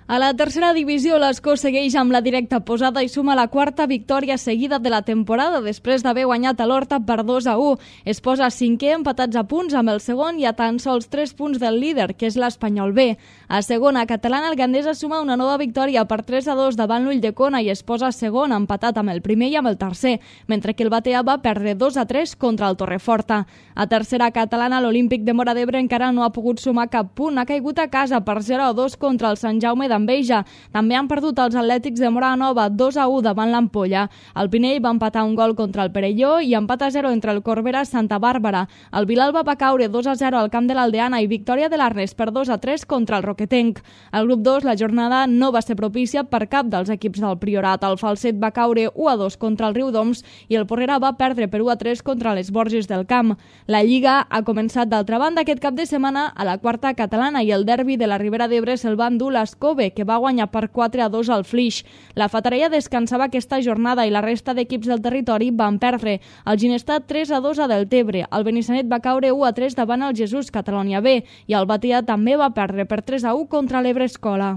A la tercera divisió, l'Escó segueix amb la directa posada i suma la quarta victòria seguida de la temporada després d'haver guanyat a l'Horta per 2-1. Es posa cinquè empatats a punts amb el segon i a tan sols 3 punts del líder, que és l'Espanyol B. A segona catalana, el Gandesa suma una nova victòria per 3-2 davant l'Ulldecona i es posa segon empatat amb el primer i amb el tercer, mentre que el Batea va perdre 2-3 contra el Torreforta. A tercera catalana, l'Olímpic de Móra d'Ebre encara no ha pogut sumar cap punt, ha caigut a casa per 0-2 contra el Sant Jaume d'Enveja. També han perdut els Atlètics de Móra Nova 2-1 davant l'Ampolla. El Pinell va empatar un gol contra el Perelló i empat a 0 entre el Corbera i Santa Bàrbara. El Vilalba va caure 2-0 al camp de l'Aldeana i victòria de l'Arnes per 2-3 contra el Roquetenc. Al grup 2 la jornada no va ser propícia per cap dels equips del Priorat. El Falset va caure 1-2 contra el Riudoms i el Porrera va perdre per 1-3 contra les Borges del Camp. La Lliga ha començat d'altra banda aquest cap de setmana a la quarta catalana i el derbi de la Ribera d'Ebre se'l va endur l'Escove, que va guanyar per 4-2 al Flix. La Fatarella descansava aquesta jornada i la resta d'equips del territori van perdre. El Ginestar 3-2 a Deltebre, el Benissanet va caure 1-3 davant el Jesús Catalònia B i el Batea també va perdre per 3-1 contra l'Ebre Escola.